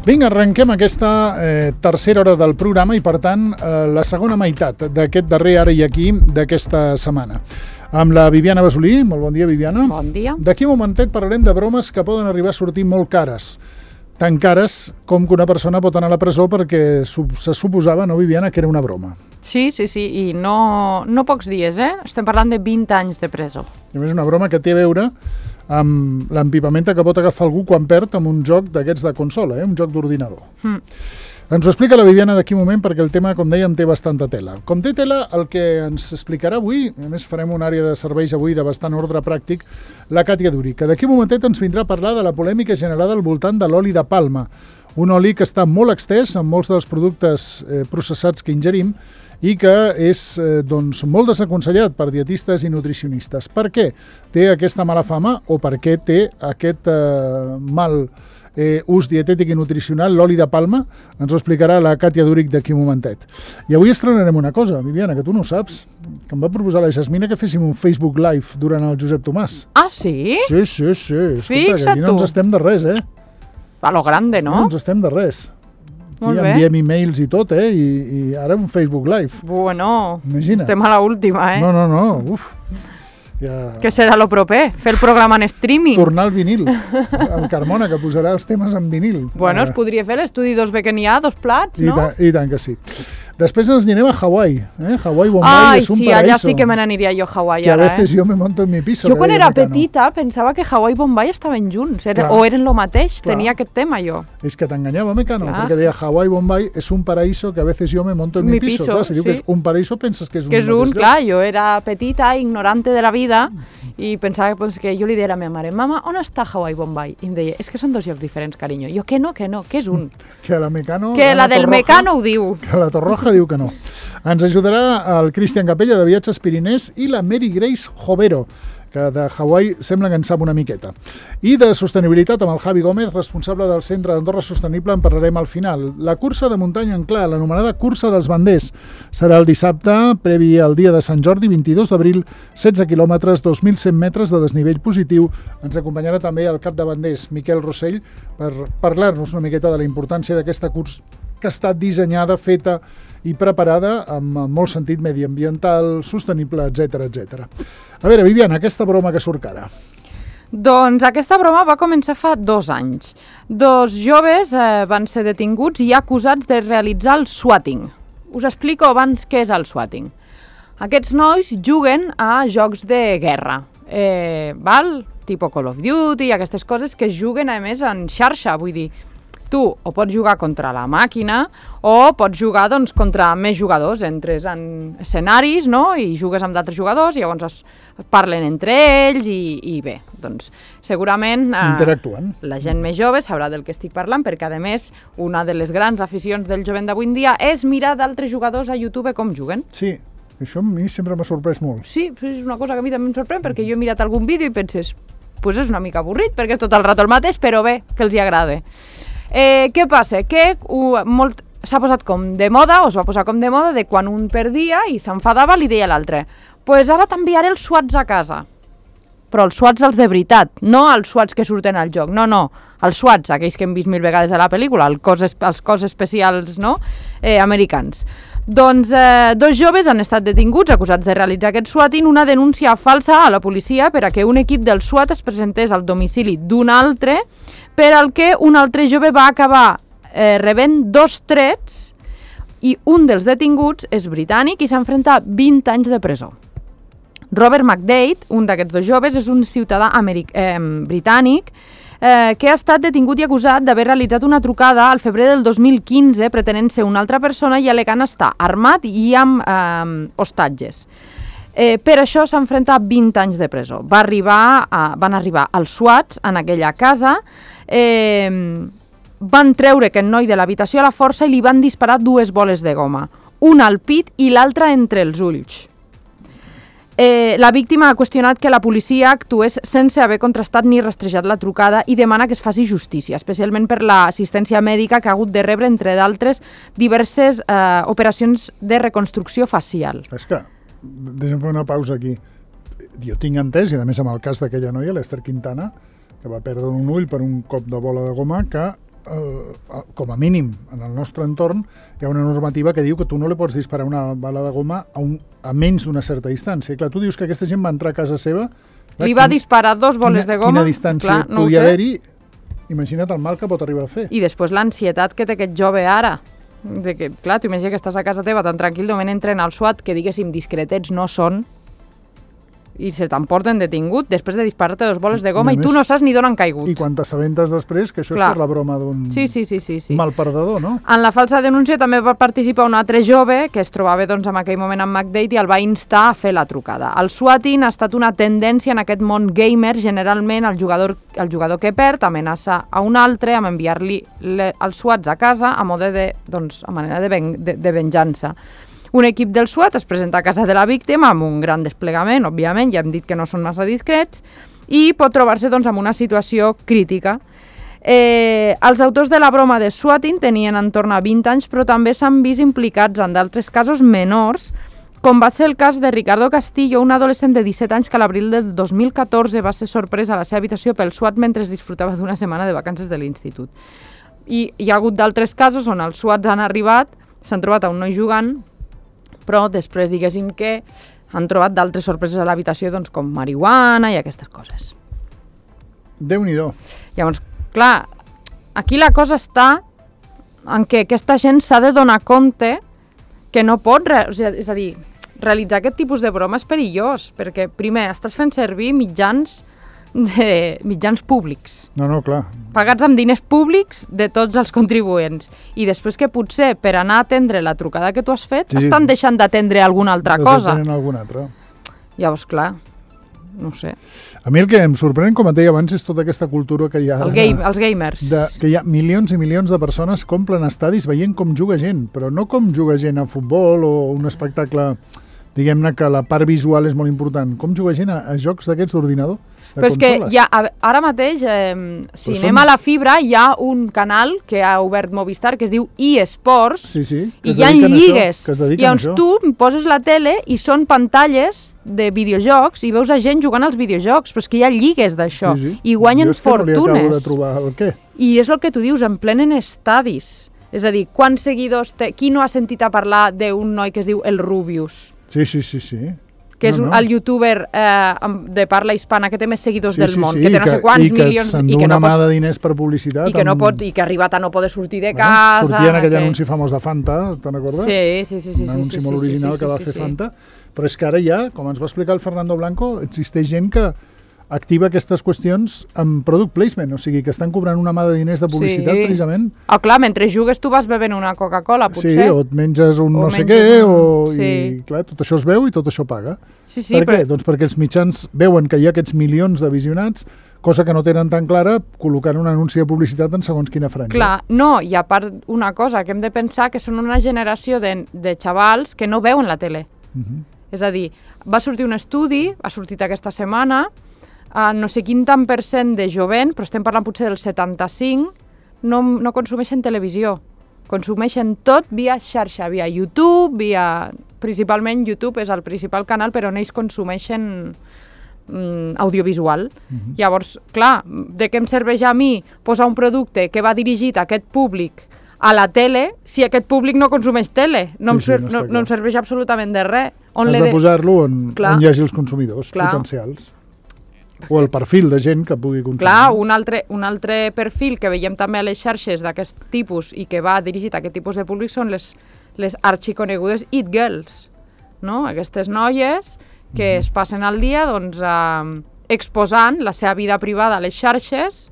Vinga, arrenquem aquesta tercera hora del programa i, per tant, la segona meitat d'aquest darrer Ara i Aquí d'aquesta setmana. Amb la Viviana Basolí. Molt bon dia, Viviana. Bon dia. D'aquí un momentet parlarem de bromes que poden arribar a sortir molt cares. Tan cares com que una persona pot anar a la presó perquè se suposava, no, Viviana, que era una broma. Sí, i no pocs dies, Estem parlant de 20 anys de presó. I a més, una broma que té a veure amb l'empipamenta que pot agafar algú quan perd amb un joc d'aquests de consola, un joc d'ordinador. Ens ho explica la Viviana d'aquí un moment perquè el tema, com dèiem, té bastanta tela. Com té tela, el que ens explicarà avui, a més farem una àrea de serveis avui de bastant ordre pràctic, la Càtia Duri, que d'aquí un momentet ens vindrà a parlar de la polèmica generada al voltant de l'oli de palma, un oli que està molt extès en molts dels productes processats que ingerim i que és molt desaconsellat per dietistes i nutricionistes. Per què té aquesta mala fama o per què té aquest mal ús dietètic i nutricional l'oli de palma? Ens ho explicarà la Càtia Duric d'aquí un momentet. I avui estrenarem una cosa, Viviana, que tu no saps, que em va proposar la Jasmina que féssim un Facebook Live durant el Josep Tomàs. Ah, sí? Sí. Escolta, Fixa't que aquí no ens estem de res, A lo grande, no? No ens estem de res. Molt Aquí bé. enviem e-mails i tot, i ara un Facebook Live. Bueno, Imagina't. estem a l'última, No, uf. Ja... Què serà lo proper? Fer el programa en streaming? Tornar al vinil. El Carmona, que posarà els temes en vinil. Bueno, es podria fer l'estudi 2B que n'hi ha, 2 plats, no? I tant que sí. Després ens anirem a Hawaii. Hawaii, Bombay, Ai, és un sí, paraíso. allà sí que me n'aniria jo a Hawaii Que a ara, veces yo me monto en mi piso. Jo que quan deia era Mecano. petita pensava que Hawaii i Bombay estaven junts, Clar. o eren lo mateix, Clar. tenia aquest tema jo. És que t'enganyava, Mecano, Clar. perquè deia Hawaii, Bombay, és un paraíso que a veces yo me monto en mi piso. Clar, si diu que és un paraíso, penses que és un Que és un, mateix lloc. clar, jo era petita, ignorante de la vida, i pensava que jo li deia a la meva mare, mama, on està Hawaii Bombay? I em deia, és que són 2 llocs diferents, carinyo. Jo, que no, que és un. Que la Mecano... Que la del Torroja, Mecano ho diu. Que la Torroja diu que no. Ens ajudarà el Cristian Capella de Viatges Pirinès i la Mary Grace Jovero, que de Hawaii sembla que en sap una miqueta. I de sostenibilitat amb el Javi Gómez, responsable del Centre d'Andorra Sostenible, en parlarem al final. La cursa de muntanya en clar, l'anomenada Cursa dels Banders, serà el dissabte, previ al dia de Sant Jordi, 22 d'abril, 16 quilòmetres, 2.100 metres de desnivell positiu. Ens acompanyarà també el cap de banders, Miquel Rossell, per parlar-nos una miqueta de la importància d'aquesta cursa que ha estat dissenyada, feta i preparada amb molt sentit mediambiental, sostenible, etc. A veure, Viviana, aquesta broma que surt cara. Doncs aquesta broma va començar fa 2 anys. 2 joves van ser detinguts i acusats de realitzar el swatting. Us explico abans què és el swatting. Aquests nois juguen a jocs de guerra, tipo Call of Duty i aquestes coses que es juguen, a més, en xarxa, vull dir, tu o pots jugar contra la màquina o pots jugar contra més jugadors, entres en escenaris, no?, i jugues amb d'altres jugadors i llavors parlen entre ells i bé, doncs segurament interactuen. La gent més jove sabrà del que estic parlant perquè, a més, una de les grans aficions del jovent d'avui en dia és mirar d'altres jugadors a YouTube com juguen. Sí, això a mi sempre m'ha sorprès molt. Sí, és una cosa que a mi també em sorprèn perquè jo he mirat algun vídeo i penses, pues és una mica avorrit perquè és tot el rato el mateix, però bé, que els hi agrada. Què passa? Que s'ha posat com de moda, o es va posar com de moda, de quan un perdia i s'enfadava li deia a l'altre, pues ara t'enviaré els swats a casa. Però els swats els de veritat, no els swats que surten al joc, no, els swats, aquells que hem vist 1000 vegades a la pel·lícula, els cos especials, no?, americans. Doncs 2 joves han estat detinguts acusats de realitzar aquest swatting, una denúncia falsa a la policia per a que un equip del SWAT es presentés al domicili d'un altre, per al que un altre jove va acabar rebent 2 trets i un dels detinguts és britànic i s'enfrenta a 20 anys de presó. Robert McDade, un d'aquests 2 joves, és un ciutadà britànic que ha estat detingut i acusat d'haver realitzat una trucada al febrer del 2015 pretenent ser una altra persona i alegant estar armat i amb hostatges. Per això s'enfrenta a 20 anys de presó. Van arribar els SWATs en aquella casa, van treure aquest noi de l'habitació a la força i li van disparar 2 boles de goma, una al pit i l'altra entre els ulls. La víctima ha qüestionat que la policia actués sense haver contrastat ni rastrejat la trucada i demana que es faci justícia, especialment per l'assistència mèdica que ha hagut de rebre, entre d'altres, diverses operacions de reconstrucció facial. És que, deixa'm fer una pausa aquí. Jo tinc entès, i a més amb el cas d'aquella noia, l'Ester Quintana, que va perdre un ull per un cop de bola de goma, que com a mínim, en el nostre entorn, hi ha una normativa que diu que tu no li pots disparar una bala de goma a menys d'una certa distància. I clar, tu dius que aquesta gent va entrar a casa seva... Li va disparar 2 boles de goma. Quina distància podia haver-hi? Imagina't el mal que pot arribar a fer. I després l'ansietat que té aquest jove ara. De que, clar, tu imagina que estàs a casa teva tan tranquil, de moment entren al SWAT, que diguéssim discretets no són, i se t'emporten detingut després de disparar-te 2 boles de goma i tu no saps ni d'on han caigut. I quan t'assabentes després que això és per la broma d'un mal perdedor, no? En la falsa denúncia també va participar un altre jove que es trobava doncs, en aquell moment amb McDade i el va instar a fer la trucada. El swatting ha estat una tendència en aquest món gamer. Generalment el jugador que perd amenaça a un altre amb enviar-li els swats a casa a manera de venjança. Un equip del SWAT es presenta a casa de la víctima amb un gran desplegament, òbviament, ja hem dit que no són massa discrets, i pot trobar-se doncs, en una situació crítica. Els autors de la broma de swatting tenien entorn a 20 anys, però també s'han vist implicats en d'altres casos menors, com va ser el cas de Ricardo Castillo, un adolescent de 17 anys que a l'abril del 2014 va ser sorprès a la seva habitació pel SWAT mentre disfrutava d'una setmana de vacances de l'institut. I hi ha hagut d'altres casos on els SWATs han arribat, s'han trobat a un noi jugant, però després diguéssim que han trobat d'altres sorpreses a l'habitació, doncs, com marihuana i aquestes coses. Déu-n'hi-do. Llavors, clar, aquí la cosa està en què aquesta gent s'ha de donar compte que no pot, és a dir, realitzar aquest tipus de broma és perillós, perquè primer estàs fent servir mitjans públics. No, clar. Pagats amb diners públics de tots els contribuents. I després que potser per anar a atendre la trucada que tu has fet estan deixant d'atendre alguna altra cosa. Alguna altra. Llavors, clar, no sé. A mi el que em sorprèn, com et deia abans, és tota aquesta cultura que hi ha ara. Els gamers. Que hi ha milions i milions de persones que omplen estadis veient com juga gent, però no com juga gent a futbol o un espectacle, diguem-ne que la part visual és molt important. Com juga gent a jocs d'aquests d'ordinador? Però és que ara mateix, si anem a la fibra, hi ha un canal que ha obert Movistar que es diu eSports, i hi ha lligues. Llavors tu poses la tele i són pantalles de videojocs i veus a gent jugant als videojocs, però és que hi ha lligues d'això i guanyen fortunes. Jo és que no li acabo de trobar el què. I és el que tu dius, en plenen estadis. És a dir, quants seguidors té? Qui no ha sentit a parlar d'un noi que es diu el Rubius? Sí. Que és el youtuber de parla hispana que té més seguidors del món, que té no sé quants milions... I que s'endú una mà de diners per publicitat. I que ha arribat a no poder sortir de casa... Sortia en aquell anunci famós de Fanta, te'n recordes? Sí. Un anunci molt original que va fer Fanta. Però és que ara ja, com ens va explicar el Fernando Blanco, existeix gent que activa aquestes qüestions amb product placement, o sigui, que estan cobrant una mà de diners de publicitat precisament. Clar, mentre jugues tu vas bevent una Coca-Cola, potser. Sí, o et menges un no sé què, i clar, tot això es veu i tot això paga. Per què? Doncs perquè els mitjans veuen que hi ha aquests milions de visionats, cosa que no tenen tan clara, col·locant un anunci de publicitat en segons quina franja. Clar, no, i a part una cosa, que hem de pensar que són una generació de xavals que no veuen la tele. És a dir, va sortir un estudi, ha sortit aquesta setmana, no sé quin tant % de jovent, però estem parlant potser del 75, no consumeixen televisió. Consumeixen tot via xarxa, via YouTube, principalment YouTube és el principal canal per on ells consumeixen audiovisual. Llavors, clar, de què em serveix a mi posar un producte que va dirigit a aquest públic a la tele si aquest públic no consumeix tele? No em serveix absolutament de res. Has de posar-lo on hi hagi els consumidors potencials. O el perfil de gent que pugui consumir. Clar, un altre perfil que veiem també a les xarxes d'aquest tipus i que va dirigit a aquest tipus de públic són les arxiconegudes It Girls, no? Aquestes noies que es passen el dia exposant la seva vida privada a les xarxes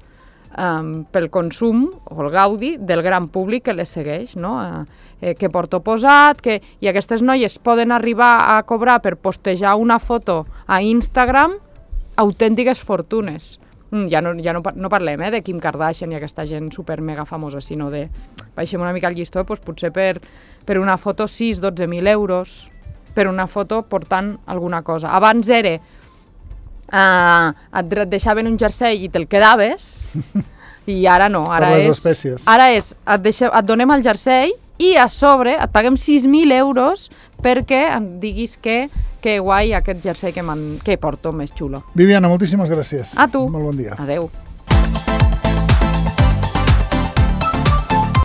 pel consum o el gaudi del gran públic que les segueix, no? Que porto posat, i aquestes noies poden arribar a cobrar per postejar una foto a Instagram autèntiques fortunes. Ja no parlem de Kim Kardashian i aquesta gent super mega famosa, sinó de, baixem una mica el llistó, potser per una foto 6-12.000 euros, per una foto portant alguna cosa. Abans era, et deixaven un jersei i te'l quedaves, i ara no. Per les espècies. Ara et donem el jersei i a sobre et paguem 6.000 euros perquè em diguis que guai aquest jersei que porto més xulo. Viviana, moltíssimes gràcies. A tu. Molt bon dia. Adeu.